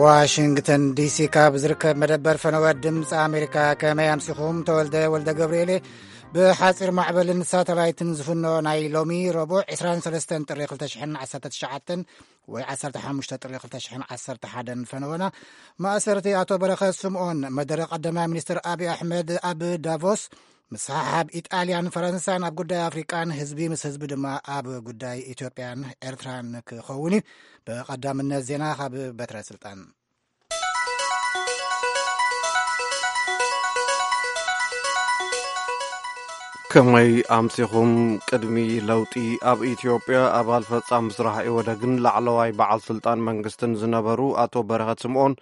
ዋሽንግተን ዲሲ። ካብ ዝርከብ መደበር ፈነወ ድምፂ ኣሜሪካ። ከመይ ኣምሲኹም? ተወልደ ወልደ ገብርኤል። ብሓፂር ማዕበልን ሳተላይትን ዝፍኖ ናይ ሎሚ ረቡዕ ዕስራን ሰለስተን ጥሪ ክልተ ሽሕን ዓሰርተ ትሽዓተን ወይ ዓሰርተ ሓሙሽተ ጥሪ ክልተ ሽሕን ዓሰርተ ሓደን ፈነወና። ማእሰርቲ ኣቶ በረኸት ስምኦን፣ መደረ ቀዳማይ ሚኒስትር ኣብይ ኣሕመድ ኣብ ዳቮስ ምስሓሓብ ኢጣልያን ፈረንሳን ኣብ ጉዳይ ኣፍሪቃን ህዝቢ ምስ ህዝቢ ድማ ኣብ ጉዳይ ኢትዮጵያን ኤርትራን ክኸውን እዩ። ብቐዳምነት ዜና ካብ በትረ ስልጣን። ከመይ ኣምሲኹም? ቅድሚ ለውጢ ኣብ ኢትዮጵያ ኣባል ፈጻሚ ስራሕ ኢህወደግን ላዕለዋይ በዓል ስልጣን መንግስትን ዝነበሩ ኣቶ በረኸት ስምኦን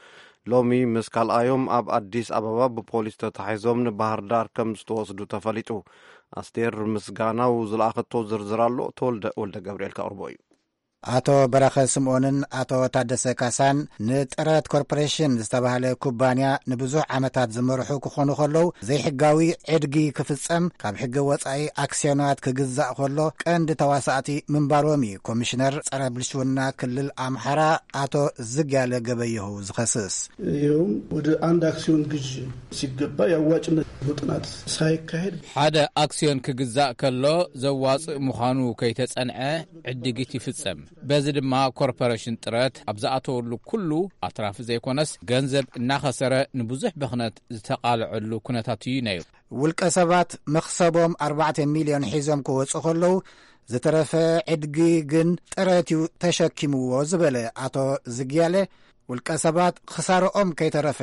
ሎሚ ምስ ካልኣዮም ኣብ ኣዲስ ኣበባ ብፖሊስ ተታሒዞም ንባህር ዳር ከም ዝተወስዱ ተፈሊጡ። ኣስቴር ምስጋናው ዝለኣኸቶ ዝርዝር ኣሎ፣ ተወልደ ወልደ ገብርኤል ከቕርቦ እዩ። ኣቶ በረኸት ስምኦንን ኣቶ ታደሰ ካሳን ንጥረት ኮርፖሬሽን ዝተባህለ ኩባንያ ንብዙሕ ዓመታት ዝመርሑ ክኾኑ ከለዉ፣ ዘይሕጋዊ ዕድጊ ክፍጸም፣ ካብ ሕገ ወጻኢ ኣክስዮናት ክግዛእ ከሎ ቀንዲ ተዋሳእቲ ምንባሮም እዩ ኮሚሽነር ጸረ ብልሽውና ክልል ኣምሓራ ኣቶ ዝግያለ ገበየሁ ዝኸስስ። ይኸውም ወደ አንድ አክሲዮን ግዥ ሲገባ የአዋጭነት ጥናት ሳይካሄድ ሓደ ኣክሲዮን ክግዛእ ከሎ ዘዋጽእ ምዃኑ ከይተጸንዐ ዕድጊት ይፍጸም። በዚ ድማ ኮርፖሬሽን ጥረት ኣብ ዝኣተወሉ ኩሉ ኣትራፊ ዘይኮነስ ገንዘብ እናኸሰረ ንብዙሕ ብኽነት ዝተቓልዐሉ ኩነታት እዩ ነይሩ። ውልቀ ሰባት መኽሰቦም ኣርባዕተ ሚልዮን ሒዞም ክወጹ ከለዉ፣ ዝተረፈ ዕድጊ ግን ጥረት እዩ ተሸኪምዎ ዝበለ ኣቶ ዝግያለ፣ ውልቀ ሰባት ክሳርኦም ከይተረፈ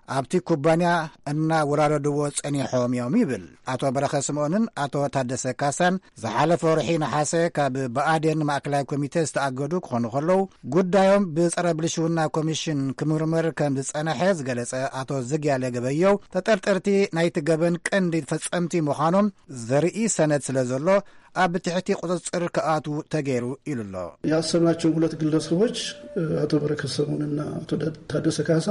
ኣብቲ ኩባንያ እናወራረድዎ ጸኒሖም እዮም ይብል። ኣቶ በረኸ ስምኦንን ኣቶ ታደሰ ካሳን ዝሓለፈ ወርሒ ነሓሰ ካብ ብኣዴን ማእከላይ ኮሚቴ ዝተኣገዱ ክኾኑ ከለዉ፣ ጉዳዮም ብጸረ ብልሽውና ኮሚሽን ክምርመር ከም ዝጸነሐ ዝገለጸ ኣቶ ዝግያለ ገበየው፣ ተጠርጠርቲ ናይቲ ገበን ቀንዲ ፈጸምቲ ምዃኖም ዘርኢ ሰነድ ስለ ዘሎ ኣብ ትሕቲ ቁጽጽር ክኣትዉ ተገይሩ ኢሉ ኣሎ። ያሰርናቸው ሁለት ግለሰቦች፣ አቶ በረከት ስምኦንና አቶ ታደሰ ካሳ።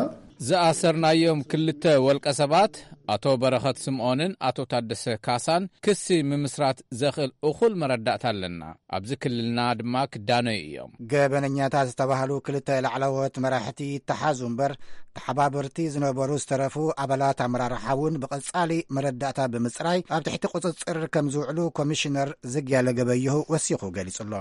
ዝኣሰርናዮም ክልተ ወልቀ ሰባት ኣቶ በረኸት ስምኦንን ኣቶ ታደሰ ካሳን ክሲ ምምስራት ዘኽእል እኹል መረዳእታ ኣለና። ኣብዚ ክልልና ድማ ክዳነዩ እዮም። ገበነኛታት ዝተባህሉ ክልተ ላዕለዎት መራሕቲ ይተሓዙ እምበር፣ ተሓባበርቲ ዝነበሩ ዝተረፉ ኣባላት ኣመራርሓ እውን ብቐጻሊ መረዳእታ ብምጽራይ ኣብ ትሕቲ ቁጽጽር ከም ዝውዕሉ ኮሚሽነር ዝግያለ ገበየሁ ወሲኹ ገሊጹ ኣሎ።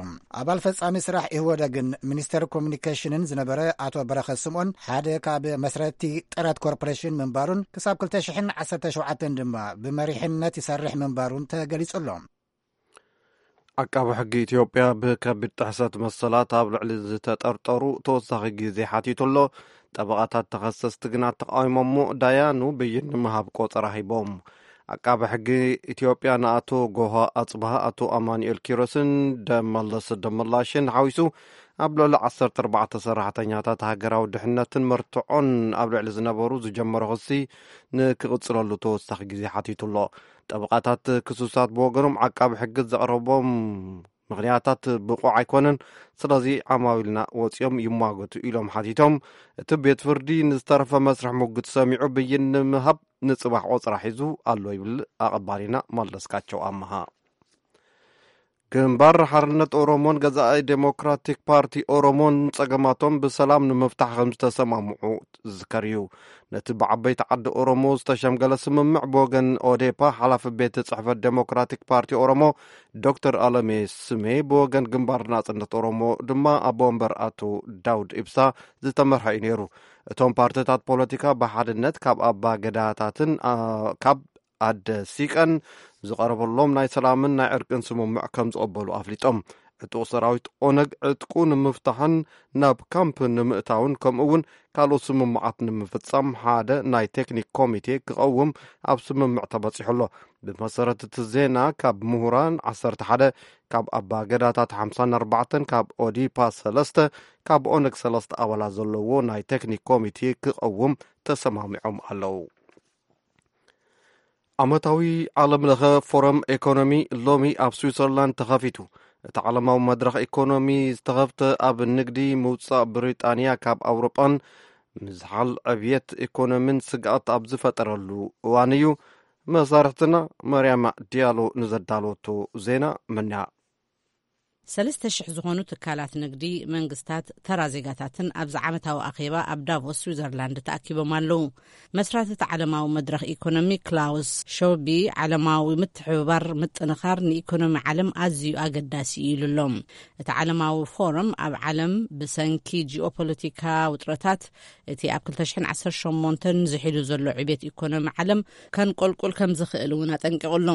ኣባል ፈጻሚ ስራሕ ኢህወደግን ሚኒስተር ኮሚኒኬሽንን ዝነበረ ኣቶ በረኸት ስምኦን ሓደ ካብ መስረቲ ጥረት ኮርፖሬሽን ምንባሩን ክሳብ ክልተ ሽሕን ዓሰርተ ሸውዓተን ድማ ብመሪሕነት ይሰርሕ ምንባሩን ተገሊጹ ኣሎ። ዓቃቢ ሕጊ ኢትዮጵያ ብከቢድ ጥሕሰት መሰላት ኣብ ልዕሊ ዝተጠርጠሩ ተወሳኺ ግዜ ሓቲቱ ኣሎ። ጠበቓታት ተኸሰስቲ ግና ተቃዊሞሞ ዳያኑ ብይን ንምሃብ ቆጸራ ሂቦም። ዓቃቢ ሕጊ ኢትዮጵያ ንኣቶ ጎሃ ኣጽብሃ፣ ኣቶ ኣማኑኤል ኪሮስን ደመለስ ደመላሽን ሓዊሱ ኣብ ልዕሊ ዓሰርተ ኣርባዕተ ሰራሕተኛታት ሃገራዊ ድሕነትን መርትዖን ኣብ ልዕሊ ዝነበሩ ዝጀመሮ ክሲ ንክቕጽለሉ ተወሳኺ ግዜ ሓቲቱ ኣሎ። ጠበቓታት ክሱሳት ብወገኖም ዓቃቢ ሕጊ ዘቕረቦም ምኽንያታት ብቑዕ ኣይኮነን፣ ስለዚ ዓማዊልና ወጺኦም ይሟገቱ ኢሎም ሓቲቶም። እቲ ቤት ፍርዲ ንዝተረፈ መስርሕ ሙግት ሰሚዑ ብይን ንምሃብ ንጽባሕ ቆጽራ ሒዙ ኣሎ ይብል ኣቐባሊና መለስካቸው ኣመሃ። ግንባር ሓርነት ኦሮሞን ገዛኢ ዴሞክራቲክ ፓርቲ ኦሮሞን ጸገማቶም ብሰላም ንምፍታሕ ከም ዝተሰማምዑ ዝዝከር እዩ። ነቲ ብዓበይቲ ዓዲ ኦሮሞ ዝተሸምገለ ስምምዕ ብወገን ኦዴፓ ሓላፊ ቤት ጽሕፈት ዴሞክራቲክ ፓርቲ ኦሮሞ ዶክተር ኣለሜ ስሜ፣ ብወገን ግንባር ናጽነት ኦሮሞ ድማ ኣቦ ወንበር ኣቶ ዳውድ ኢብሳ ዝተመርሐ እዩ ነይሩ። እቶም ፓርቲታት ፖለቲካ ብሓድነት ካብ ኣባ ገዳታትን፣ ኣ፣ ካብ ኣደ ሲቀን ዝቐረበሎም ናይ ሰላምን ናይ ዕርቅን ስምምዕ ከም ዝቐበሉ ኣፍሊጦም። ዕጡቕ ሰራዊት ኦነግ ዕጥቁ ንምፍታሕን ናብ ካምፕ ንምእታውን ከምኡ እውን ካልኦት ስምምዓት ንምፍጻም ሓደ ናይ ቴክኒክ ኮሚቴ ክቐውም ኣብ ስምምዕ ተበጺሑ ኣሎ። ብመሰረት እቲ ዜና፣ ካብ ምሁራን ዓሰርተ ሓደ፣ ካብ ኣባ ገዳታት ሓምሳን ኣርባዕተን፣ ካብ ኦዲፓ ሰለስተ፣ ካብ ኦነግ ሰለስተ ኣባላት ዘለዎ ናይ ቴክኒክ ኮሚቴ ክቐውም ተሰማሚዖም ኣለዉ። ዓመታዊ ዓለም ለኸ ፎረም ኤኮኖሚ ሎሚ ኣብ ስዊዘርላንድ ተኸፊቱ። እቲ ዓለማዊ መድረኽ ኢኮኖሚ ዝተኸፍተ ኣብ ንግዲ ምውጻእ ብሪጣንያ ካብ ኣውሮጳን ምዝሓል ዕብየት ኢኮኖሚን ስግኣት ኣብ ዝፈጠረሉ እዋን እዩ። መሳርሕትና መርያማ ዲያሎ ንዘዳለወቶ ዜና መና ሰለስተ ሽሕ ዝኾኑ ትካላት ንግዲ፣ መንግስታት፣ ተራ ዜጋታትን ኣብዚ ዓመታዊ ኣኼባ ኣብ ዳቮስ ስዊዘርላንድ ተኣኪቦም ኣለዉ። መስራቲ እቲ ዓለማዊ መድረኽ ኢኮኖሚ ክላውስ ሾቢ፣ ዓለማዊ ምትሕብባር ምጥንኻር ንኢኮኖሚ ዓለም ኣዝዩ ኣገዳሲ እዩ ኢሉ ኣሎ። እቲ ዓለማዊ ፎረም ኣብ ዓለም ብሰንኪ ጂኦፖለቲካ ውጥረታት እቲ ኣብ ክልተ ሽሕን ዓሰርተ ሸሞንተን ዝሒሉ ዘሎ ዕብየት ኢኮኖሚ ዓለም ከንቆልቁል ከም ዝኽእል እውን ኣጠንቂቑ ኣሎ።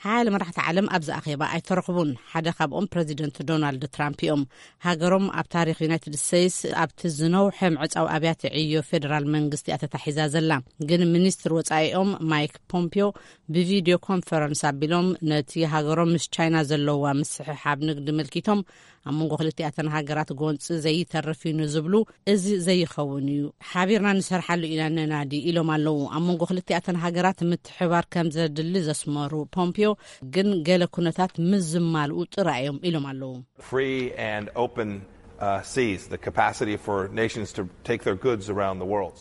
ሓያለ መራሕቲ ዓለም ኣብዚ ኣኼባ ኣይተረኽቡን። ሓደ ካብኦም ፕረዚደንት ዶናልድ ትራምፕ እዮም። ሃገሮም ኣብ ታሪኽ ዩናይትድ ስቴትስ ኣብቲ ዝነውሐ ምዕጻው ኣብያተ ዕዮ ፌደራል መንግስቲ እያ ተታሒዛ ዘላ። ግን ሚኒስትር ወጻኢኦም ማይክ ፖምፒዮ ብቪድዮ ኮንፈረንስ ኣቢሎም ነቲ ሃገሮም ምስ ቻይና ዘለዋ ምስሕሓብ ንግዲ ምልኪቶም ኣብ መንጎ ክልቲኣተን ሃገራት ጎንፂ ዘይተርፍ እዩ ንዝብሉ እዚ ዘይኸውን እዩ፣ ሓቢርና ንሰርሓሉ ኢና ነናዲ ኢሎም ኣለዉ። ኣብ መንጎ ክልቲኣተን ሃገራት ምትሕባር ከም ዘድሊ ዘስመሩ ፖምፒዮ፣ ግን ገለ ኩነታት ምስ ዝማልኡ ጥራይ እዮም ኢሎም ኣለዉ። Free and open uh, seas, the capacity for nations to take their goods around the world.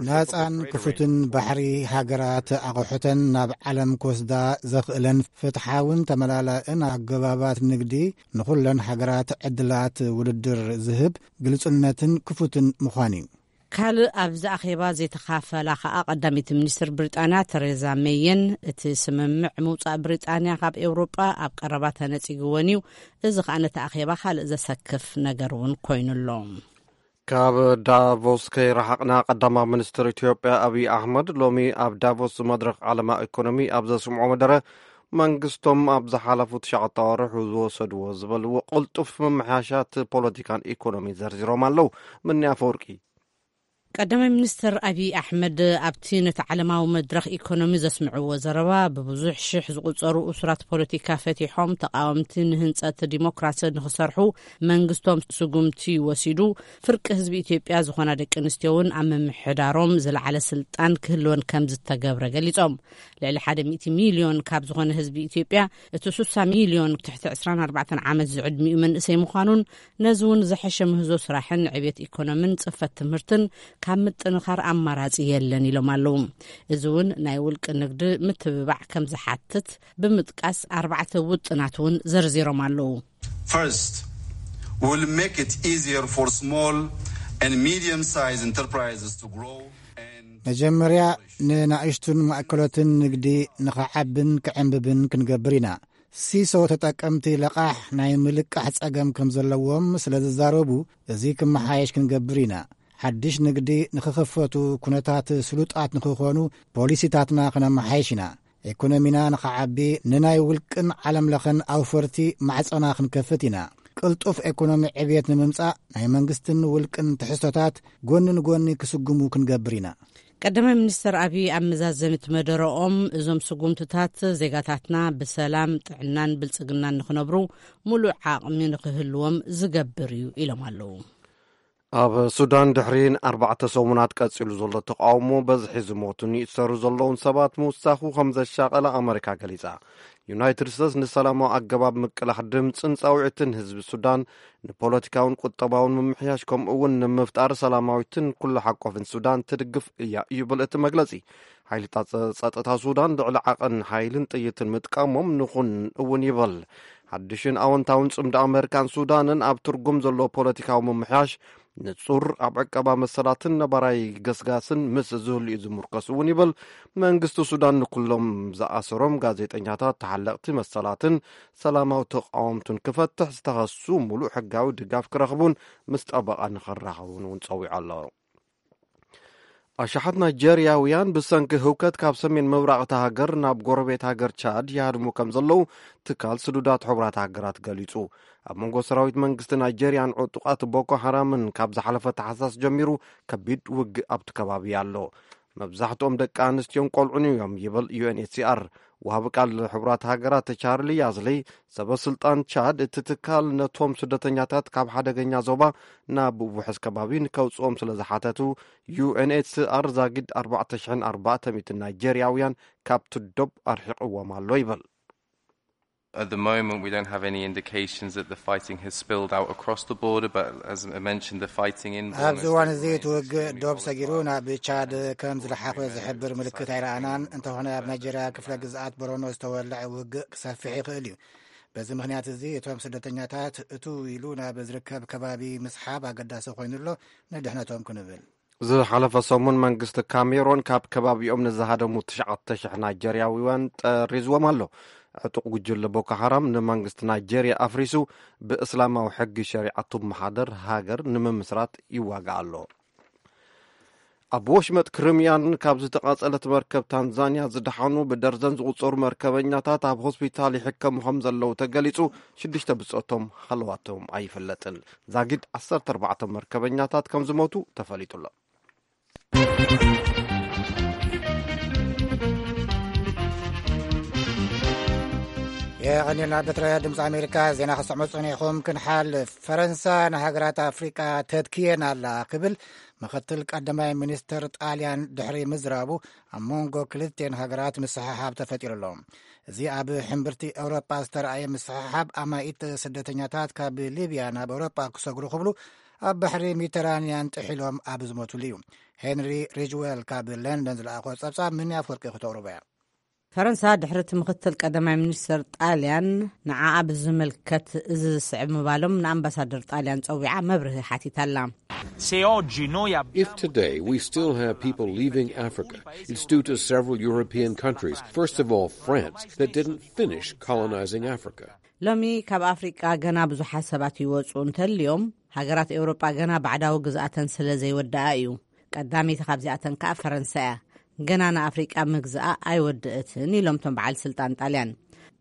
ናጻን ክፉትን ባሕሪ፣ ሃገራት ኣቑሑተን ናብ ዓለም ክወስዳ ዘኽእለን ፍትሓውን ተመላላእን ኣገባባት ንግዲ፣ ንኹለን ሃገራት ዕድላት ውድድር ዝህብ፣ ግልጽነትን ክፉትን ምዃን እዩ። ካልእ ኣብዚ ኣኼባ ዘይተኻፈላ ከኣ ቀዳመይቲ ሚኒስትር ብሪጣንያ ተሬዛ ሜይን፣ እቲ ስምምዕ ምውጻእ ብሪጣንያ ካብ ኤውሮጳ ኣብ ቀረባ ተነጺግወን እዩ። እዚ ከኣ ነቲ ኣኼባ ካልእ ዘሰክፍ ነገር እውን ኮይኑ ኣሎ። ካብ ዳቮስ ከይረሓቕና፣ ቀዳማዊ ሚኒስትር ኢትዮጵያ ኣብይ ኣሕመድ ሎሚ ኣብ ዳቮስ መድረኽ ዓለማ ኢኮኖሚ ኣብ ዘስምዖ መደረ፣ መንግስቶም ኣብ ዝሓለፉ ትሽዓተ ኣዋርሕ ዝወሰድዎ ዝበልዎ ቅልጡፍ ምምሕያሻት ፖለቲካን ኢኮኖሚ ዘርዚሮም ኣለዉ። ምኒ ኣፈወርቂ። ቀዳማይ ሚኒስትር ኣብይ ኣሕመድ ኣብቲ ነቲ ዓለማዊ መድረኽ ኢኮኖሚ ዘስምዕዎ ዘረባ፣ ብብዙሕ ሽሕ ዝቑጸሩ እሱራት ፖለቲካ ፈቲሖም፣ ተቃወምቲ ንህንጸት ዲሞክራሲ ንኽሰርሑ መንግስቶም ስጉምቲ ወሲዱ፣ ፍርቂ ህዝቢ ኢትዮጵያ ዝኾና ደቂ ኣንስትዮ እውን ኣብ ምምሕዳሮም ዝለዓለ ስልጣን ክህልወን ከም ዝተገብረ ገሊጾም። ልዕሊ ሓደ ሚእቲ ሚልዮን ካብ ዝኾነ ህዝቢ ኢትዮጵያ፣ እቲ ስሳ ሚልዮን ትሕቲ ዕስራን ኣርባዕተን ዓመት ዝዕድሚኡ መንእሰይ ምዃኑን፣ ነዚ እውን ዝሐሸ ምህዞ ስራሕን ዕብየት ኢኮኖምን ጽፈት ትምህርትን ካብ ምጥንኻር ኣማራጺ የለን ኢሎም ኣለዉ። እዚ እውን ናይ ውልቂ ንግዲ ምትብባዕ ከም ዝሓትት ብምጥቃስ፣ ኣርባዕተ ውጥናት እውን ዘርዚሮም ኣለዉ። First, we'll make it easier for small and medium-sized enterprises to grow and መጀመርያ፣ ንናእሽቱን ማእከሎትን ንግዲ ንኸዓብን ክዕንብብን ክንገብር ኢና። ሲሶ ተጠቀምቲ ለቓሕ ናይ ምልቃሕ ጸገም ከም ዘለዎም ስለ ዝዛረቡ፣ እዚ ክመሓየሽ ክንገብር ኢና። ሓድሽ ንግዲ ንኽኽፈቱ ኩነታት ስሉጣት ንኽኾኑ ፖሊሲታትና ክነመሓየሽ ኢና። ኢኮኖሚና ንኸዓቢ፣ ንናይ ውልቅን ዓለም ለኸን ኣውፈርቲ ማዕጾና ክንከፍት ኢና። ቅልጡፍ ኢኮኖሚ ዕብየት ንምምጻእ፣ ናይ መንግስትን ውልቅን ትሕዝቶታት ጎኒ ንጎኒ ክስጉሙ ክንገብር ኢና። ቀዳማይ ሚኒስትር ኣብይ ኣብ መዛዘሚት መደረኦም፣ እዞም ስጉምትታት ዜጋታትና ብሰላም፣ ጥዕናን ብልጽግናን ንኽነብሩ ሙሉእ ዓቕሚ ንኽህልዎም ዝገብር እዩ ኢሎም ኣለዉ። ኣብ ሱዳን ድሕሪ ኣርባዕተ ሰሙናት ቀጺሉ ዘሎ ተቃውሞ፣ በዝሒ ዝሞቱን ይእሰሩ ዘለውን ሰባት ምውሳኹ ከም ዘሻቐለ ኣመሪካ ገሊጻ። ዩናይትድ ስቴትስ ንሰላማዊ ኣገባብ ምቅላሕ ድምጽን ጻውዒትን ህዝቢ ሱዳን ንፖለቲካውን ቁጠባውን ምምሕያሽ፣ ከምኡ እውን ንምፍጣር ሰላማዊትን ኩሉ ሓቆፍን ሱዳን ትድግፍ እያ ይብል እቲ መግለጺ። ሓይልታት ጸጥታ ሱዳን ልዕሊ ዓቐን ሓይልን ጥይትን ምጥቃሞም ንኹን እውን ይበል። ሓድሽን ኣወንታውን ጽምዶ ኣመሪካን ሱዳንን ኣብ ትርጉም ዘለዎ ፖለቲካዊ ምምሕያሽ፣ ንጹር ኣብ ዕቀባ መሰላትን ነባራይ ገስጋስን ምስ ዝህሉ እዩ ዝምርኮስ እውን ይብል። መንግስቲ ሱዳን ንኩሎም ዝኣሰሮም ጋዜጠኛታት፣ ተሓለቕቲ መሰላትን ሰላማዊ ተቃወምቱን ክፈትሕ፣ ዝተኸሱ ሙሉእ ሕጋዊ ድጋፍ ክረኽቡን ምስ ጠበቓ ንኽራኸቡን እውን ጸዊዑ ኣሎ። ኣሽሓት ናይጀርያውያን ብሰንኪ ህውከት ካብ ሰሜን ምብራቕ እታ ሃገር ናብ ጎረቤት ሃገር ቻድ ይሃድሙ ከም ዘለዉ ትካል ስዱዳት ሕቡራት ሃገራት ገሊጹ። ኣብ መንጎ ሰራዊት መንግስቲ ናይጀርያን ዕጡቓት ቦኮ ሓራምን ካብ ዝሓለፈ ታሕሳስ ጀሚሩ ከቢድ ውግእ ኣብቲ ከባቢ ኣሎ። መብዛሕትኦም ደቂ ኣንስትዮን ቆልዑን እዮም ይብል ዩ ኤን ኤች ሲ ኣር። ወሃቢ ቃል ሕቡራት ሃገራት ቻርሊ ያዝሊ፣ ሰበ ስልጣን ቻድ እቲ ትካል ነቶም ስደተኛታት ካብ ሓደገኛ ዞባ ናብ ውሑስ ከባቢ ንከውጽኦም ስለ ዝሓተቱ፣ ዩ ኤን ኤች ሲ ኣር ዛጊድ ኣርባዕተ ሽሕን ኣርባዕተ ሚእትን ናይጀርያውያን ካብቲ ዶብ ኣርሒቕዎም ኣሎ ይብል። At the moment, we don't have any indications that the fighting has spilled out across the border, but as I mentioned, the fighting in Borno ኣብዚ State እዋን እዚ እቲ remains ውግእ extremely ዶብ ሰጊሩ volatile. ናብ ቻድ ከም ዝለሓፈ ዝሕብር ምልክት ኣይረኣናን። እንተኾነ ኣብ ናይጀርያ ክፍለ ግዝኣት ቦረኖ ዝተወልዐ ውግእ ክሰፍሕ ይኽእል እዩ። በዚ ምኽንያት እዚ እቶም ስደተኛታት እቱ ኢሉ ናብ ዝርከብ ከባቢ ምስሓብ ኣገዳሲ ኮይኑ ኣሎ፣ ንድሕነቶም ክንብል። ዝሓለፈ ሰሙን መንግስቲ ካሜሮን ካብ ከባቢኦም ንዝሃደሙ ትሽዓተ ሽሕ ናይጀርያውያን ጠሪዝዎም ኣሎ። ዕጡቕ ጉጅለ ቦኮ ሓራም ንመንግስቲ ናይጀርያ ኣፍሪሱ ብእስላማዊ ሕጊ ሸሪዓት ትመሓደር ሃገር ንምምስራት ይዋጋእ ኣሎ። ኣብ ወሽመጥ ክሪምያን ካብ ዝተቓጸለት መርከብ ታንዛንያ ዝደሓኑ ብደርዘን ዝቑጸሩ መርከበኛታት ኣብ ሆስፒታል ይሕከሙ ከም ዘለዉ ተገሊጹ። ሽዱሽተ ብጾቶም ሃለዋቶም ኣይፍለጥን። ዛጊድ ዓሰርተ ኣርባዕተ መርከበኛታት ከም ዝሞቱ ተፈሊጡ ኣሎ። የቐኒልና። ብትረ ድምፂ ኣሜሪካ ዜና ክሰምዑ ጸኒኹም። ክንሓልፍ፣ ፈረንሳ ንሃገራት ኣፍሪቃ ተትክየን ኣላ ክብል ምክትል ቀዳማይ ሚኒስትር ጣልያን ድሕሪ ምዝራቡ፣ ኣብ መንጎ ክልቲኤን ሃገራት ምስሕሓብ ተፈጢሩ ኣሎ። እዚ ኣብ ሕምብርቲ ኤውሮጳ ዝተረኣየ ምስሕሓብ፣ ኣማኢት ስደተኛታት ካብ ሊብያ ናብ ኤውሮጳ ክሰግሩ ክብሉ ኣብ ባሕሪ ሜዲተራንያን ጥሒሎም ኣብ ዝሞትሉ እዩ። ሄንሪ ሪጅዌል ካብ ለንደን ዝለኣኾ ጸብጻብ፣ ምን ኣፍወርቂ ክተቕርቦ እያ። ፈረንሳ ድሕሪ እቲ ምክትል ቀዳማይ ሚኒስትር ጣልያን ንዓኣ ብዝምልከት እዚ ዝስዕብ ምባሎም ንኣምባሳደር ጣልያን ጸዊዓ መብርሂ ሓቲታላ። Se oggi noi abbiamo If today we still have people leaving Africa, it's due to several European countries, first of all France, that didn't finish colonizing Africa. ሎሚ ካብ ኣፍሪቃ ገና ብዙሓት ሰባት ይወፁ እንተልዮም፣ ሃገራት ኤውሮጳ ገና ባዕዳዊ ግዝኣተን ስለ ዘይወደኣ እዩ። ቀዳመይቲ ካብዚኣተን ከኣ ፈረንሳ እያ። ገና ንኣፍሪቃ ምግዝኣ ኣይወደእትን ኢሎም እቶም በዓል ስልጣን ጣልያን።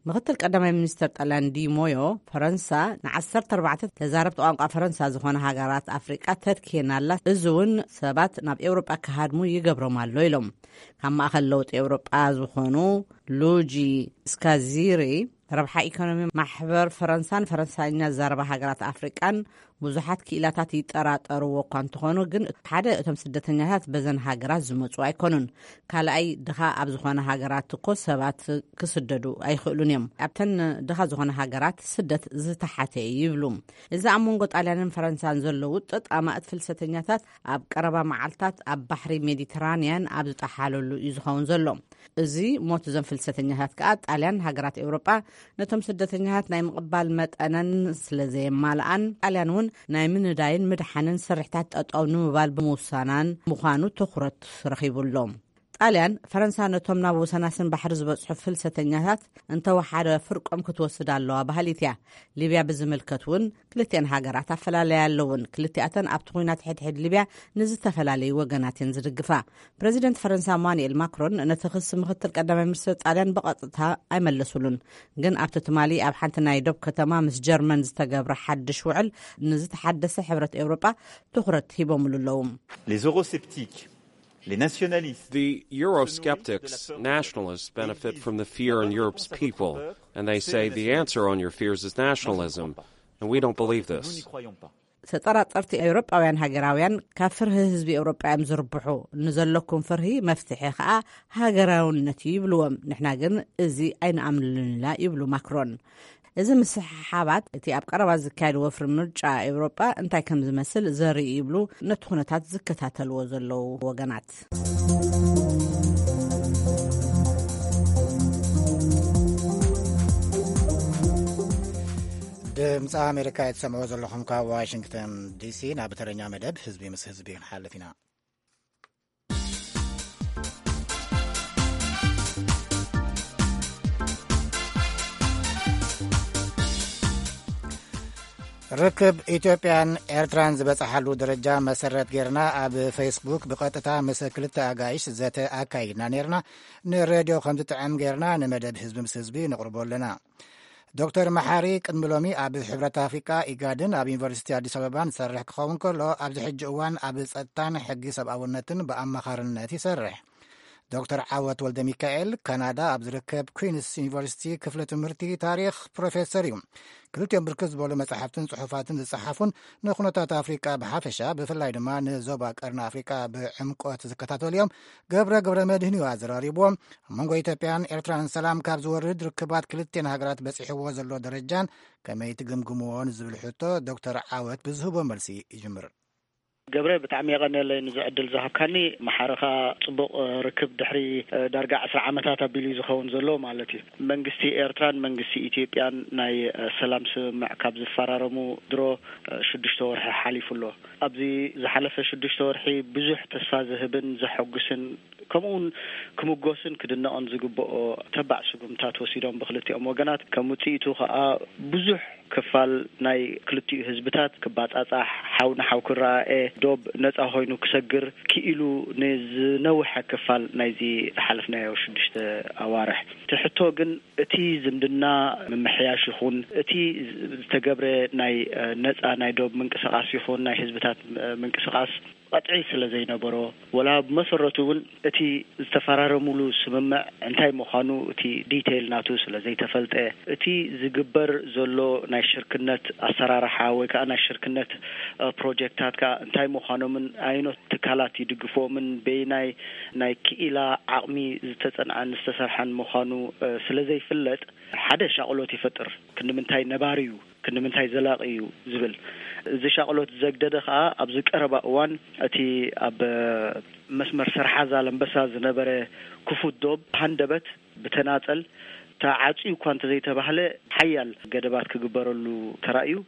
ምክትል ቀዳማይ ሚኒስትር ጣልያን ዲ ሞዮ፣ ፈረንሳ ንዓሰርተ ኣርባዕተ ተዛረብቲ ቋንቋ ፈረንሳ ዝኾነ ሃገራት ኣፍሪቃ ተትኪየን ኣላ፣ እዚ እውን ሰባት ናብ ኤውሮጳ ክሃድሙ ይገብሮም ኣሎ ኢሎም። ካብ ማእኸል ለውጢ ኤውሮጳ ዝኾኑ ሉጂ ስካዚሪ፣ ረብሓ ኢኮኖሚ ማሕበር ፈረንሳን ፈረንሳይኛ ዝዛረባ ሃገራት ኣፍሪቃን ብዙሓት ክኢላታት ይጠራጠርዎ እኳ እንተኾኑ፣ ግን ሓደ እቶም ስደተኛታት በዘን ሃገራት ዝመፁ ኣይኮኑን። ካልኣይ፣ ድኻ ኣብ ዝኾነ ሃገራት እኮ ሰባት ክስደዱ ኣይኽእሉን እዮም። ኣብተን ድኻ ዝኾነ ሃገራት ስደት ዝተሓተ እዩ ይብሉ። እዚ ኣብ መንጎ ጣልያንን ፈረንሳን ዘሎ ውጥጥ ኣማእት ፍልሰተኛታት ኣብ ቀረባ መዓልታት ኣብ ባሕሪ ሜዲተራንያን ኣብ ዝጠሓለሉ እዩ ዝኸውን ዘሎ። እዚ ሞት እዞም ፍልሰተኛታት ከኣ፣ ጣልያን ሃገራት ኤውሮጳ ነቶም ስደተኛታት ናይ ምቕባል መጠነን ስለ ዘየማልኣን፣ ጣልያን እውን ናይ ምንዳይን ምድሓንን ስርሕታት ጠጠው ንምባል ብምውሳናን ምዃኑ ትኹረት ረኺቡ ኣሎ። ጣልያን፣ ፈረንሳ ነቶም ናብ ወሰናስን ባሕሪ ዝበጽሑ ፍልሰተኛታት እንተወሓደ ፍርቆም ክትወስድ ኣለዋ በሃሊት እያ። ሊብያ ብዝምልከት እውን ክልቲኣን ሃገራት ኣፈላለያ ኣለውን። ክልቲኣተን ኣብቲ ኲናት ሕድሕድ ሊብያ ንዝተፈላለዩ ወገናት እየን ዝድግፋ። ፕረዚደንት ፈረንሳ ማኑኤል ማክሮን ነቲ ክሲ ምክትል ቀዳማይ ሚኒስትር ጣልያን ብቐጥታ ኣይመለሱሉን። ግን ኣብቲ ትማሊ ኣብ ሓንቲ ናይ ዶብ ከተማ ምስ ጀርመን ዝተገብረ ሓድሽ ውዕል ንዝተሓደሰ ሕብረት ኤውሮጳ ትኹረት ሂቦምሉ ኣለዉ። Les eurosceptiques, les nationalistes. The Eurosceptics, nationalists, benefit from the fear in Europe's people, and they say the answer on your fears is nationalism, and we don't believe this. ተጠራጠርቲ ኤውሮጳውያን ሃገራውያን ካብ ፍርሂ ህዝቢ ኤውሮጳ እዮም ዝርብሑ። ንዘለኩም ፍርሂ መፍትሒ ከኣ ሃገራውነት እዩ ይብልዎም። ንሕና ግን እዚ ኣይንኣምንሉን ኢና ይብሉ ማክሮን። እዚ ምስሕሓባት እቲ ኣብ ቀረባ ዝካየድ ወፍሪ ምርጫ ኤውሮጳ እንታይ ከም ዝመስል ዘርኢ ይብሉ ነቲ ኩነታት ዝከታተልዎ ዘለዉ ወገናት። ድምፂ ኣሜሪካ እትሰምዑ ዘለኹም ካብ ዋሽንግተን ዲሲ። ናብ ተረኛ መደብ ህዝቢ ምስ ህዝቢ ክንሓልፍ ኢና። ርክብ ኢትዮጵያን ኤርትራን ዝበጽሓሉ ደረጃ መሰረት ጌርና ኣብ ፌስቡክ ብቐጥታ ምስ ክልተ ኣጋይሽ ዘተ ኣካይድና ኔርና። ንሬድዮ ከም ዝጥዕም ጌርና ንመደብ ህዝቢ ምስ ህዝቢ ነቕርቦ ኣለና። ዶክተር መሓሪ ቅድሚ ሎሚ ኣብ ሕብረት ኣፍሪቃ ኢጋድን ኣብ ዩኒቨርሲቲ ኣዲስ ኣበባን ዝሰርሕ ክኸውን ከሎ፣ ኣብዚ ሕጂ እዋን ኣብ ጸጥታን ሕጊ ሰብኣውነትን ብኣማኻርነት ይሰርሕ። ዶክተር ዓወት ወልደ ሚካኤል ካናዳ ኣብ ዝርከብ ኩንስ ዩኒቨርሲቲ ክፍሊ ትምህርቲ ታሪኽ ፕሮፌሰር እዩ። ክልቲኦም ብርክት ዝበሉ መጻሕፍትን ጽሑፋትን ዝጸሓፉን ንኩነታት ኣፍሪቃ ብሓፈሻ ብፍላይ ድማ ንዞባ ቀርኒ ኣፍሪቃ ብዕምቆት ዝከታተሉ እዮም። ገብረ ገብረ መድህን እዩ ኣዘራሪብዎም። ኣብ መንጎ ኢትዮጵያን ኤርትራን ሰላም ካብ ዝወርድ ርክባት ክልቲኤን ሃገራት በጺሕዎ ዘሎ ደረጃን ከመይ ትግምግምዎ ንዝብል ሕቶ ዶክተር ዓወት ብዝህቦ መልሲ ይጅምር። ገብረ፣ ብጣዕሚ የቐንየለይ ንዚ ዕድል ዝሃብካኒ። መሓረኻ ጽቡቕ ርክብ ድሕሪ ዳርጋ ዕስራ ዓመታት ኣቢሉ እዩ ዝኸውን ዘሎ ማለት እዩ። መንግስቲ ኤርትራን መንግስቲ ኢትዮጵያን ናይ ሰላም ስምምዕ ካብ ዝፈራረሙ ድሮ ሽዱሽተ ወርሒ ሓሊፉ ኣሎ። ኣብዚ ዝሓለፈ ሽዱሽተ ወርሒ ብዙሕ ተስፋ ዝህብን ዘሐጉስን ከምኡ እውን ክምጎስን ክድነቕን ዝግብኦ ተባዕ ስጉምታት ወሲዶም ብክልቲኦም ወገናት። ከም ውጽኢቱ ከኣ ብዙሕ ክፋል ናይ ክልቲኡ ህዝብታት ክባጻጻሕ፣ ሓው ንሓው ክረኣኤ፣ ዶብ ነጻ ኮይኑ ክሰግር ክኢሉ ንዝነውሐ ክፋል ናይዚ ዝሓለፍናዮ ሽዱሽተ ኣዋርሕ። እቲ ሕቶ ግን እቲ ዝምድና ምምሕያሽ ይኹን እቲ ዝተገብረ ናይ ነጻ ናይ ዶብ ምንቅስቓስ ይኹን ናይ ህዝብታት ምንቅስቓስ ቀጥዒ ስለ ዘይነበሮ፣ ወላ ብመሰረቱ እውን እቲ ዝተፈራረሙሉ ስምምዕ እንታይ ምዃኑ እቲ ዲቴይል ናቱ ስለ ዘይተፈልጠ፣ እቲ ዝግበር ዘሎ ናይ ሽርክነት ኣሰራርሓ ወይ ከዓ ናይ ሽርክነት ፕሮጀክታት ከዓ እንታይ ምዃኖምን ኣየኖት ትካላት ይድግፍዎምን በየናይ ናይ ክኢላ ዓቕሚ ዝተፀንዐን ዝተሰርሐን ምዃኑ ስለ ዘይፍለጥ ሓደ ሻቕሎት ይፈጥር። ክንዲ ምንታይ ነባሪ እዩ፣ ክንዲ ምንታይ ዘላቒ እዩ ዝብል። እዚ ሻቕሎት ዘግደደ ከኣ ኣብዚ ቀረባ እዋን እቲ ኣብ መስመር ሰርሓ ዛላምበሳ ዝነበረ ክፉት ዶብ ሃንደበት ብተናጸል ተዓጽዩ እኳ እንተዘይተባህለ ሓያል ገደባት ክግበረሉ ተራእዩ።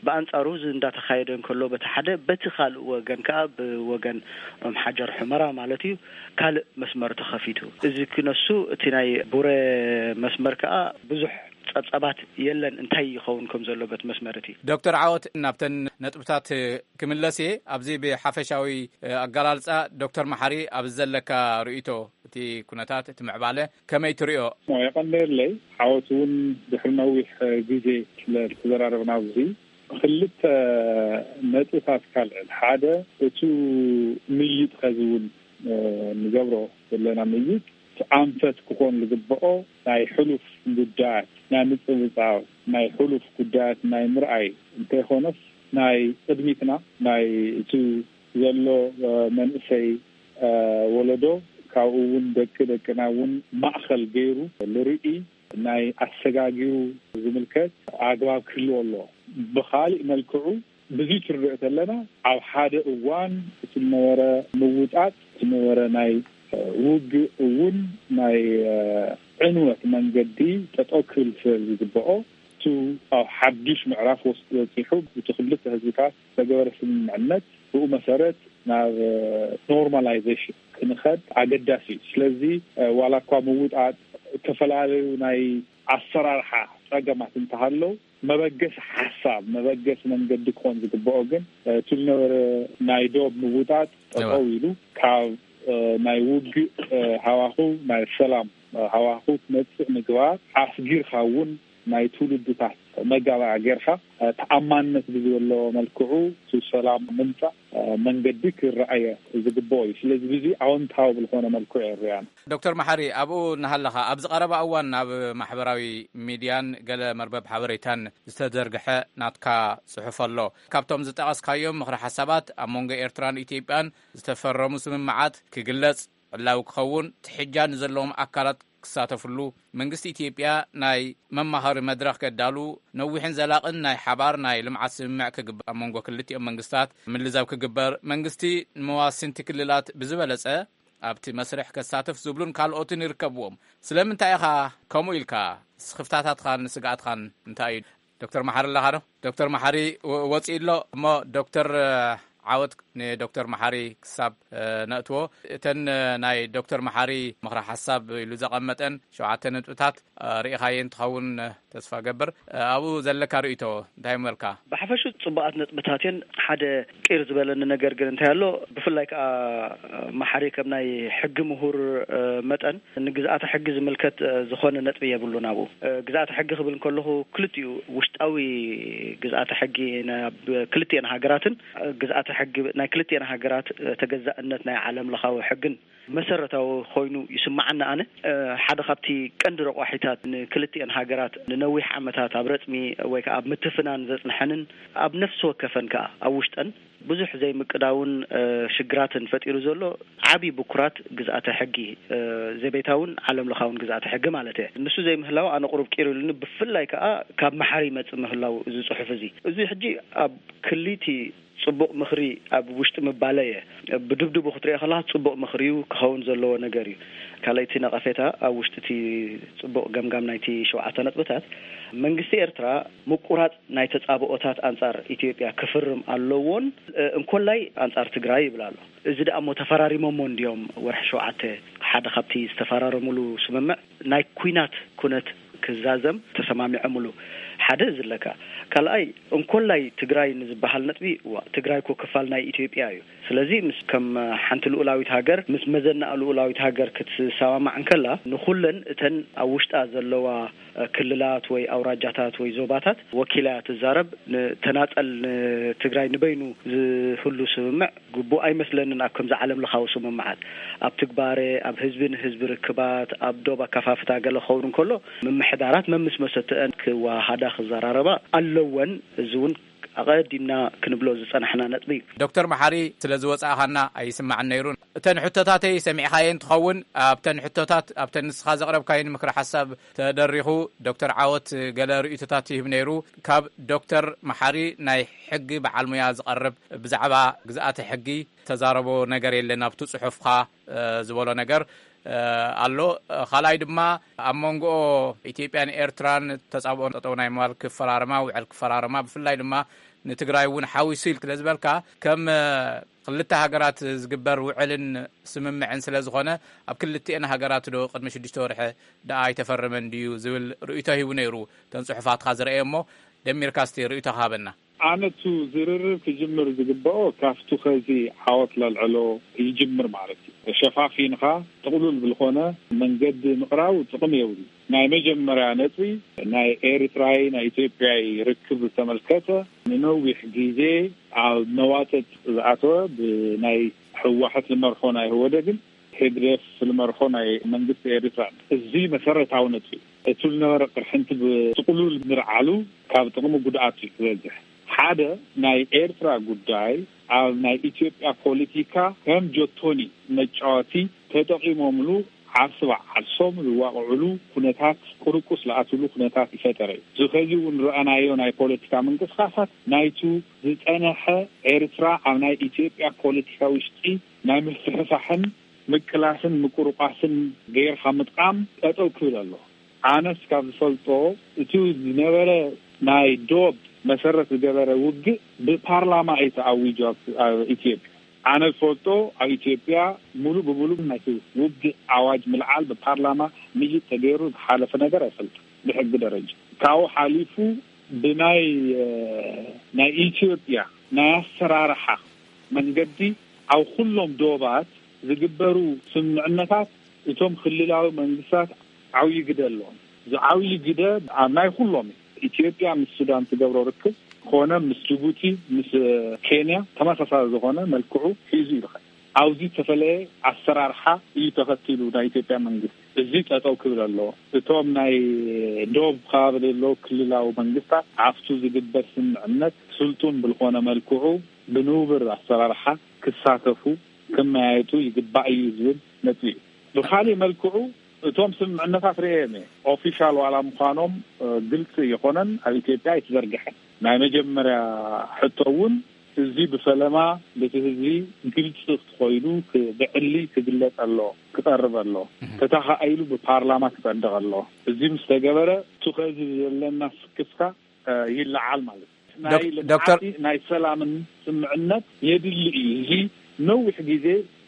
ብኣንጻሩ እዚ እንዳተኻየደ እንከሎ በቲ ሓደ፣ በቲ ካልእ ወገን ከኣ ብወገን ኦም ሓጀር ሑመራ ማለት እዩ ካልእ መስመር ተኸፊቱ። እዚ ክነሱ እቲ ናይ ቡረ መስመር ከኣ ብዙሕ ጸብጸባት የለን እንታይ ይኸውን ከም ዘሎ በት መስመር እቲ። ዶክተር ዓወት ናብተን ነጥብታት ክምለስ እየ። ኣብዚ ብሓፈሻዊ ኣገላልጻ ዶክተር መሓሪ ኣብዚ ዘለካ ርእይቶ እቲ ኩነታት እቲ ምዕባለ ከመይ ትርእዮ? የቐንየለይ። ዓወት እውን ድሕሪ ነዊሕ ግዜ ስለ ዝተዘራረብና ኣብዚ ክልተ ነጥብታት ካልዕል። ሓደ እቱ ምይጥ ከዚ እውን ንገብሮ ዘለና ምይጥ ኣንፈት ክኾን ዝግብኦ ናይ ሕሉፍ ጉዳያት ናይ ምጽብጻብ ናይ ሕሉፍ ጉዳያት ናይ ምርኣይ እንተይኾነስ ናይ ቅድሚትና ናይ እቲ ዘሎ መንእሰይ ወለዶ ካብኡ እውን ደቂ ደቅና እውን ማእኸል ገይሩ ልርኢ ናይ ኣሰጋጊሩ ዝምልከት ኣግባብ ክህልዎ ኣለዎ። ብኻሊእ መልክዑ ብዙይ ትርድኦ ተለና ኣብ ሓደ እዋን እቲ ዝነበረ ምውጣጥ እቲ ዝነበረ ናይ ውግእ እውን ናይ ዕንወት መንገዲ ጠጠው ክብል ስለ ዝግብኦ እቱ ኣብ ሓዱሽ ምዕራፍ ወስ- ወፂሑ እቲ ክልተ ህዝብታት ዝተገበረ ስምምዕነት ብኡ መሰረት ናብ ኖርማላይዜሽን ክንኸድ ኣገዳሲ እዩ። ስለዚ ዋላ እኳ ምውጣጥ ዝተፈላለዩ ናይ ኣሰራርሓ ፀገማት እንተሃለው መበገሲ ሓሳብ መበገሲ መንገዲ ክኾን ዝግብኦ ግን እቲ ዝነበረ ናይ ዶብ ምውጣጥ ጠጠው ኢሉ ካብ ናይ ውግእ ሃዋኹ ናይ ሰላም ሃዋኹ ክመፅእ ምግባር ኣስጊርካ እውን ናይ ትውልድታት መጋባእያ ጌርካ ተኣማንነት ብዝበሎ መልክዑ እቲ ሰላም ምምፃእ መንገዲ ክረኣየ ዝግብኦ እዩ። ስለዚ ብዙ ኣወንታዊ ብዝኾነ መልክዑ የርእያና። ዶክተር መሓሪ ኣብኡ እናሃለኻ ኣብዚ ቀረባ እዋን ናብ ማሕበራዊ ሚድያን ገለ መርበብ ሓበሬታን ዝተዘርግሐ ናትካ ጽሑፍ ኣሎ። ካብቶም ዝጠቐስካዮም ምኽሪ ሓሳባት ኣብ መንጎ ኤርትራን ኢትዮጵያን ዝተፈረሙ ስምምዓት ክግለጽ ዕላዊ ክኸውን ትሕጃ ንዘለዎም ኣካላት ክሳተፍሉ መንግስቲ ኢትዮጵያ ናይ መማኸሪ መድረኽ ከዳሉ ነዊሕን ዘላቕን ናይ ሓባር ናይ ልምዓት ስምምዕ ክግበር ኣብ መንጎ ክልቲኦም መንግስታት ምልዛብ ክግበር መንግስቲ ንመዋስንቲ ክልላት ብዝበለጸ ኣብቲ መስርሕ ከሳተፍ ዝብሉን ካልኦትን ይርከብዎም። ስለምንታይ ኢኻ ከምኡ ኢልካ? ስኽፍታታትኻን ስግኣትኻን እንታይ እዩ? ዶክተር መሓሪ ኣለኻ ዶ? ዶክተር መሓሪ ወፂኡ ኣሎ እሞ ዶክተር ዓወት ንዶክተር መሓሪ ክሳብ ነእትዎ እተን ናይ ዶክተር መሓሪ ምኽረ ሓሳብ ኢሉ ዘቐመጠን ሸውዓተ ነጥብታት ርኢኻየን ትኸውን ተስፋ ገብር። ኣብኡ ዘለካ ርእይቶ እንታይ ምበልካ? ብሓፈሹ ጽቡቓት ነጥብታት እየን። ሓደ ቂር ዝበለኒ ነገር ግን እንታይ ኣሎ፣ ብፍላይ ከኣ መሓሪ ከም ናይ ሕጊ ምሁር መጠን ንግዝኣተ ሕጊ ዝምልከት ዝኾነ ነጥቢ የብሉን። ኣብኡ ግዝኣተ ሕጊ ክብል እንከለኹ ክልቲኡ ውሽጣዊ ግዝኣተ ሕጊ ናብ ክልቲኤን ሃገራትን ግዝኣተ ሕጊ ናይ ክልቲኤን ሃገራት ተገዛእነት ናይ ዓለም ለኻዊ ሕግን መሰረታዊ ኮይኑ ይስማዓኒ። ኣነ ሓደ ካብቲ ቀንዲ ረቋሒታት ንክልቲኤን ሃገራት ንነዊሕ ዓመታት ኣብ ረጽሚ ወይ ከዓ ኣብ ምትፍናን ዘጽንሐንን ኣብ ነፍሲ ወከፈን ከዓ ኣብ ውሽጠን ብዙሕ ዘይምቅዳውን ሽግራትን ፈጢሩ ዘሎ ዓብዪ ብኩራት ግዝኣተ ሕጊ ዘቤታውን ዓለም ለኻውን ግዝኣተ ሕጊ ማለት እየ። ንሱ ዘይምህላው ኣነ ቁሩብ ቂር ኢሉኒ። ብፍላይ ከዓ ካብ መሓሪ ይመጽእ ምህላው እዚ ጽሑፍ እዚ እዚ ሕጂ ኣብ ክሊቲ ጽቡቕ ምኽሪ ኣብ ውሽጢ ምባለ እየ። ብድብድቡ ክትሪኦ ከለካ ጽቡቕ ምኽሪ እዩ ክኸውን ዘለዎ ነገር እዩ። ካልኣይቲ ነቐፌታ ኣብ ውሽጢ እቲ ጽቡቕ ገምጋም ናይቲ ሸውዓተ ነጥብታት መንግስቲ ኤርትራ ምቁራጽ ናይ ተጻብኦታት ኣንጻር ኢትዮጵያ ክፍርም ኣለዎን እንኮላይ ኣንጻር ትግራይ ይብል ኣሎ። እዚ ደኣ እሞ ተፈራሪሞሞ እንዲዮም ወርሒ ሸውዓተ ሓደ ካብቲ ዝተፈራረሙሉ ስምምዕ ናይ ኩናት ኩነት ክዛዘም ተሰማሚዖምሉ ሓደ እዚ ኣለካ። ካልኣይ እንኮላይ ትግራይ ንዝበሃል ነጥቢ እዋ ትግራይ እኮ ክፋል ናይ ኢትዮጵያ እዩ። ስለዚ ምስ ከም ሓንቲ ልኡላዊት ሃገር ምስ መዘናእ ልኡላዊት ሃገር ክትሰማማዕ እንከላ ንኩለን እተን ኣብ ውሽጣ ዘለዋ ክልላት ወይ ኣውራጃታት ወይ ዞባታት ወኪላ እያ ትዛረብ። ንተናጠል ንትግራይ ንበይኑ ዝህሉ ስምምዕ ግቡእ ኣይመስለንን። ኣብ ከምዚ ዓለም ለኻዊ ስምምዓት ኣብ ትግባረ ኣብ ህዝቢ ንህዝቢ ርክባት ኣብ ዶብ ኣካፋፍታ ገለ ክኸውን እንከሎ ምምሕዳራት መምስ መሰተአን ክዋሃዳ ክዘራረባ ኣለወን። እዚ እውን ኣቐዲምና ክንብሎ ዝጸናሕና ነጥቢ እዩ። ዶክተር መሓሪ፣ ስለ ዝወጻእኻና ኣይስማዕን ነይሩ። እተን ሕቶታተይ ሰሚዕኻየን ትኸውን። ኣብተን ሕቶታት ኣብተን ንስኻ ዘቕረብካየን ምክሪ ሓሳብ ተደሪኹ ዶክተር ዓወት ገለ ርእይቶታት ይህብ ነይሩ። ካብ ዶክተር መሓሪ ናይ ሕጊ በዓል ሙያ ዝቐርብ ብዛዕባ ግዝኣተ ሕጊ ተዛረቦ ነገር የለን ኣብቲ ጽሑፍካ ዝበሎ ነገር ኣሎ። ካልኣይ ድማ ኣብ መንጎ ኢትዮጵያን ኤርትራን ተጻብኦ ጠጠው ናይ ምባል ክፈራረማ ውዕል ክፈራረማ ብፍላይ ድማ ንትግራይ እውን ሓዊሱ ኢልክ ዝበልካ ከም ክልተ ሃገራት ዝግበር ውዕልን ስምምዕን ስለ ዝኾነ ኣብ ክልቲኤን ሃገራት ዶ ቅድሚ ሽዱሽተ ወርሒ ደኣ ኣይተፈረመን ድዩ ዝብል ርእይቶ ሂቡ ነይሩ። ተን ጽሑፋትካ ዝረእየ እሞ ደሚርካ እስቲ ርእይቶ ሃበና። ኣነቱ ዝርርብ ክጅምር ዝግበኦ ካብቱ ከዚ ዓወት ለልዕሎ ይጅምር ማለት እዩ። ሸፋፊንኻ ጥቕሉል ብልኾነ መንገዲ ምቕራቡ ጥቕሚ የብሉ። ናይ መጀመርያ ነጥቢ ናይ ኤርትራይ ናይ ኢትዮጵያይ ርክብ ዝተመልከተ ንነዊሕ ግዜ ኣብ መዋጥጥ ዝኣተወ ብናይ ህወሓት ዝመርሖ ናይ ህወደግን ህግደፍ ዝመርሖ ናይ መንግስቲ ኤርትራ እዚ መሰረታዊ ነጥቢ እቲ ዝነበረ ቅርሕንቲ ብጥቕሉል ምርዓሉ ካብ ጥቕሚ ጉድኣት እዩ ዝበዝሕ። ሓደ ናይ ኤርትራ ጉዳይ ኣብ ናይ ኢትዮጵያ ፖለቲካ ከም ጆቶኒ መጫወቲ ተጠቒሞምሉ ዓርሲ በዓርሶም ዝዋቕዕሉ ኩነታት ቅርቁስ ዝኣትሉ ኩነታት ይፈጠረ እዩ። እዚ ከዚ እውን ረኣናዮ ናይ ፖለቲካ ምንቅስቃሳት ናይቱ ዝጸነሐ ኤርትራ ኣብ ናይ ኢትዮጵያ ፖለቲካ ውሽጢ ናይ ምስሕሳሕን ምቅላስን ምቁርቋስን ገይርካ ምጥቃም ጠጠው ክብል ኣሎ። ኣነስ ካብ ዝፈልጦ እቲ ዝነበረ ናይ ዶብ መሰረት ዝገበረ ውግእ ብፓርላማ እዩ ተኣዊጁ ኣብ ኢትዮጵያ። ኣነ ዝፈልጦ ኣብ ኢትዮጵያ ሙሉ ብሙሉ ናይቲ ውግእ ኣዋጅ ምልዓል ብፓርላማ ምይጥ ተገይሩ ዝሓለፈ ነገር ኣይፈልጥን። ብሕጊ ደረጃ ካብኡ ሓሊፉ ብናይ ናይ ኢትዮጵያ ናይ ኣሰራርሓ መንገዲ ኣብ ኩሎም ዶባት ዝግበሩ ስምምዕነታት እቶም ክልላዊ መንግስታት ዓብዪ ግደ ኣለዎም። ዝዓብዪ ግደ ኣብ ናይ ኩሎም ኢትዮጵያ ምስ ሱዳን ትገብሮ ርክብ ኮነ ምስ ጅቡቲ ምስ ኬንያ ተመሳሳሊ ዝኾነ መልክዑ ሒዙ ይርከብ። ኣብዚ ዝተፈለየ ኣሰራርሓ እዩ ተኸቲሉ ናይ ኢትዮጵያ መንግስቲ። እዚ ጠጠው ክብል ኣለዎ። እቶም ናይ ዶብ ከባቢ ዘለዉ ክልላዊ መንግስታት ኣብቱ ዝግበር ስምምዕነት ስልጡን ብልኾነ መልክዑ ብንቡር ኣሰራርሓ ክሳተፉ ክመያየጡ ይግባእ እዩ ዝብል ነጥቢ እዩ። ብካሊእ መልክዑ እቶም ስምምዕነታት ርእየም እየ ኦፊሻል ዋላ ምዃኖም ግልፂ ይኾነን ኣብ ኢትዮጵያ ኣይተዘርግሐን። ናይ መጀመርያ ሕቶ እውን እዚ ብፈለማ በቲ ህዝቢ ግልፂ ኮይኑ ብዕሊ ክግለፅ ኣሎ ክቐርብ ኣሎ ተተኻኢሉ ብፓርላማ ክፀድቕ ኣሎ። እዚ ምስ ተገበረ እቲ ከዚ ዘለና ስክፍታ ይለዓል ማለት እዩ። ናይ ዶክተር ልምዓት ናይ ሰላምን ስምዕነት የድሊ እዩ። እዚ ነዊሕ ግዜ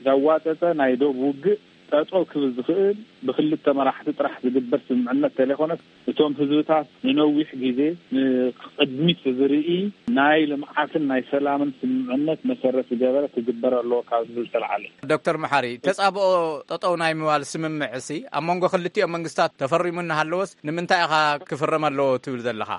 ዘዋጠጠ ናይ ዶብ ውግእ ጠጠው ክብል ዝኽእል ብክልተ መራሕቲ ጥራሕ ዝግበር ስምምዕነት ተለይኮነስ እቶም ህዝብታት ንነዊሕ ግዜ ንቅድሚት ዝርኢ ናይ ልምዓትን ናይ ሰላምን ስምምዕነት መሰረት ዝገበረ ክግበር ኣለዎ ካብ ዝብል ዝተልዓለ። ዶክተር መሓሪ፣ ተጻብኦ ጠጠው ናይ ምባል ስምምዕሲ ኣብ መንጎ ክልቲኦም መንግስታት ተፈሪሙ እናሃለወስ ንምንታይ ኢኻ ክፍረም ኣለዎ ትብል ዘለኻ?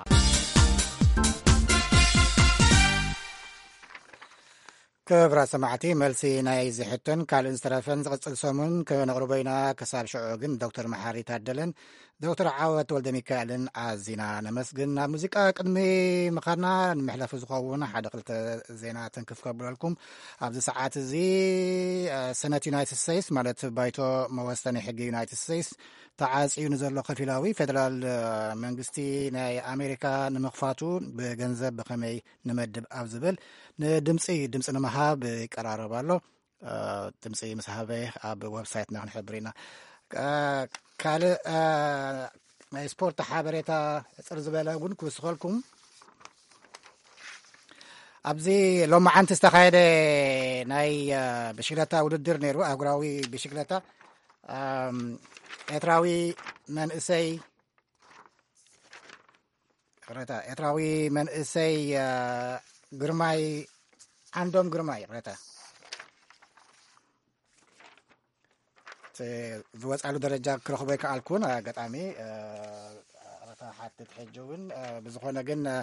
ክብራት ሰማዕቲ፣ መልሲ ናይ ዝሕቶን ካልእን ዝተረፈን ዝቕጽል ሰሙን ከነቕርቦ ኢና። ክሳብ ሽዑ ግን ዶክተር መሓሪ ታደለን ዶክተር ዓወት ወልደ ሚካኤልን ኣዚና ነመስግን። ናብ ሙዚቃ ቅድሚ ምኻድና ንምሕለፉ ዝኸውን ሓደ ክልተ ዜና ተንክፍ ከብለልኩም። ኣብዚ ሰዓት እዚ፣ እ፣ ሰነት ዩናይትድ ስቴትስ፣ ማለት ባይቶ መወሰኒ ሕጊ ዩናይትድ ስቴትስ፣ ተዓጽዩ ንዘሎ ከፊላዊ ፌደራል፣ እ፣ መንግስቲ ናይ ኣሜሪካ ንምኽፋቱ ብገንዘብ ብኸመይ ንመድብ ኣብ ዝብል ንድምፂ፣ ድምፂ ንምሃብ ይቀራረብ ኣሎ። እ፣ ድምፂ ምስ ሃበ ኣብ ዌብሳይትና ክንሕብር ኢና። እ፣ ካልእ፣ እ፣ ናይ ስፖርት ሓበሬታ ፅር ዝበለ እውን ክውስኸልኩም። ኣብዚ ሎማዓንቲ ዝተኻየደ ናይ፣ እ፣ ብሽግለታ ውድድር ነይሩ፣ ኣህጉራዊ ብሽግለታ። ኣም፣ ኤርትራዊ መንእሰይ፣ ይቕረታ፣ ኤርትራዊ መንእሰይ፣ እ፣ ግርማይ፣ ዓንዶም ግርማይ፣ ይቕረታ፣ እቲ ዝወጻሉ ደረጃ ክረኽቦ ኣይከኣልኩን። ኣጋጣሚ፣ እ፣ ይቕረታ ሓትት። ሕጂ እውን፣ እ፣ ብዝኾነ ግን፣ እ፣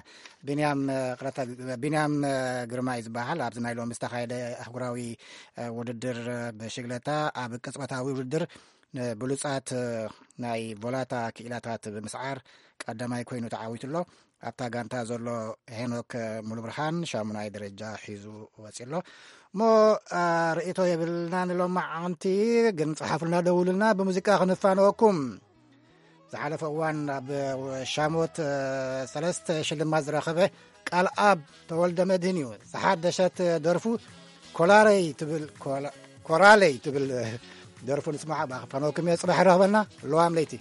ቢንያም፣ እ፣ ይቕረታ፣ ቢንያም፣ እ፣ ግርማይ ዝበሃል ኣብዚ ናይ ሎሚ ዝተኻየደ ኣህጉራዊ፣ እ፣ ውድድር፣ እ፣ ብሽግለታ ኣብ ቅጽበታዊ ውድድር ንብሉጻት፣ እ፣ ናይ ቮላታ ክኢላታት ብምስዓር ቀዳማይ ኮይኑ ተዓዊቱ ኣሎ። ኣብታ ጋንታ ዘሎ ሄኖክ ሙሉብርሃን ሻሙናይ ደረጃ ሒዙ ወፂኡ ኣሎ። እሞ፣ እ፣ ርእይቶ የብልናን ሎማዓንቲ፣ ግን ጽሓፉልና፣ ደውሉልና፣ ብሙዚቃ ክንፋነወኩም። ዝሓለፈ እዋን ኣብ ሻሞት፣ እ፣ ሰለስተ ሽልማት ዝረኸበ ቃልኣብ ተወልደ መድህን እዩ። ዝሓደሸት ደርፉ ኮላረይ ትብል፣ ኮላ-፣ ኮራለይ ትብል ደርፉ ንስማዓ። ብኣኽፋኖኩም እየ። ጽባሕ ይረኽበና። ለዋም ለይቲ።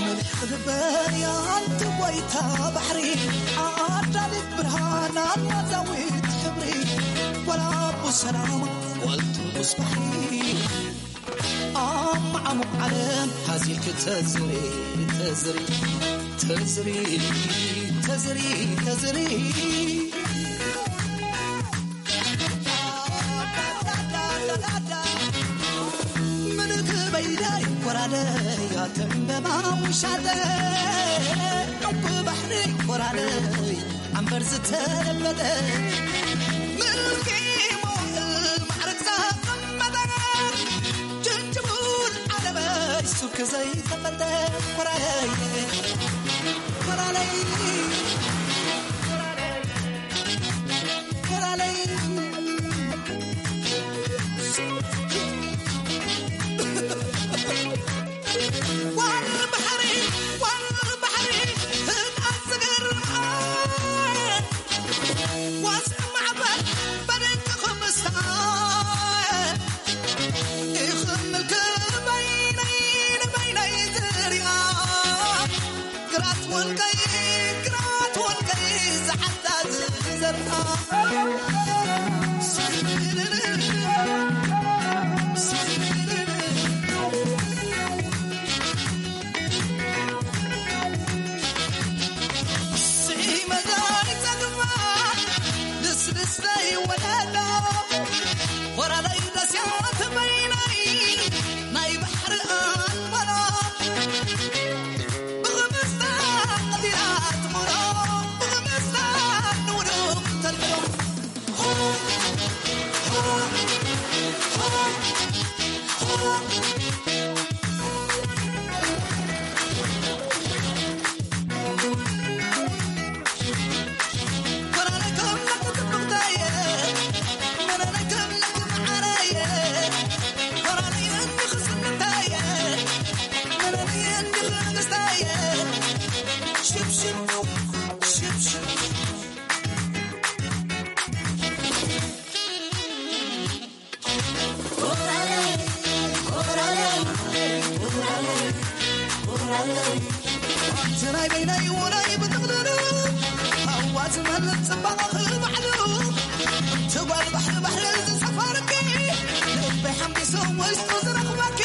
ምልሕ ክግበር እያ ኣንቲ ጎይታ ባሕሪ፣ ኣዳሊት ብርሃን ኣናዛዊት ሕብሪ፣ ጓል ኣቡ ሰላማ፣ ጓል ትርጉስ ባሕሪ። ኣብ መዓሙቕ ዓለም ሃዚልኪ ተዝሪ፣ ተዝሪ፣ ተዝሪ፣ ተዝሪ፣ ተዝሪ። ምልክ በይደይ ኮራደይ ኣተንበባ ውሻጠ፣ ዕንቁ ባሕሪ ኮራደይ ኣንበር ዝተለበጠ፣ ምልኪ መዋእል ማዕረግ ዘቐመጠ፣ ጅንጅቡል ዓለመይ ሱክ ዘይተፈተ፣ ኮራለይ፣ ኮራለይ፣ ኮራለይ። ጓል ባሕሪ፣ ጓል ባሕሪ፣ ህጣን ዝገርም፣ ዋስ ማዕበል በደንኪ ክምስታ፣ ይኽምልኪ በይነይ ንበይነይ ዝርያ፣ ግራት ወልቀይ፣ ግራት ወልቀይ ዝዓዳ ዝዘርኣ። ስዒ መዛይ ጸግባ ልስልስተይ ወለሎ፣ ወራለይ ደስያት በይነይ ናይ ባሕሪ ኣንበሎ። ብኽምስታ ቀቲላ ትምሮ፣ ብኽምስታ ንውዱቕ ተልምዶ። ኣንቲ ናይ በይነይ ውራይ ብጥቕልሉ፣ ሃዋ ዝመልእ ጽባቐኺ ባዕሉ፣ ትጓል ባሕሪ ባሕሪ ዝሰፈርኪ፣ ልበይ ሓምቢሱ ውሽጡ ዝረኽበኪ።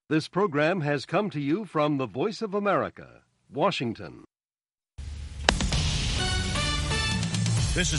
This program has come to you from the Voice of America, Washington.